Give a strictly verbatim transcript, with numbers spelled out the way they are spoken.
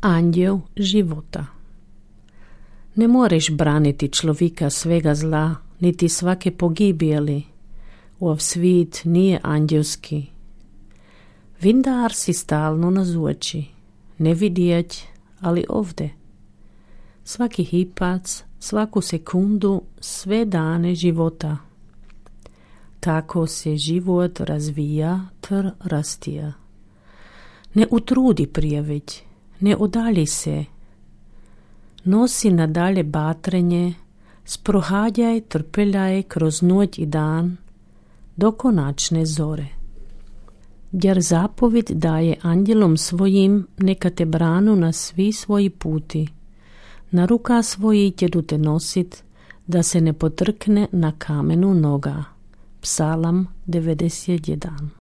Anđeo života. Ne moreš braniti človeka svega zla, niti svake pogibjeli. Ov svit nije anđelski. Vindar si stalno nazoči, ne vidjeć, ali ovde. Svaki hipac, svaku sekundu, sve dane života. Tako se život razvija tr rastija. Ne utrudi prijeveć, ne udalji se. Nosi nadalje batrenje, sprohađaj, trpeljaj kroz noć i dan, do konačne zore. Jer zapovjed daje anđelom svojim, neka te branu na svi svoji puti. Na ruka svoji ćedu te nosit, da se ne potrkne na kamenu noga. Psalam devedeset jedan.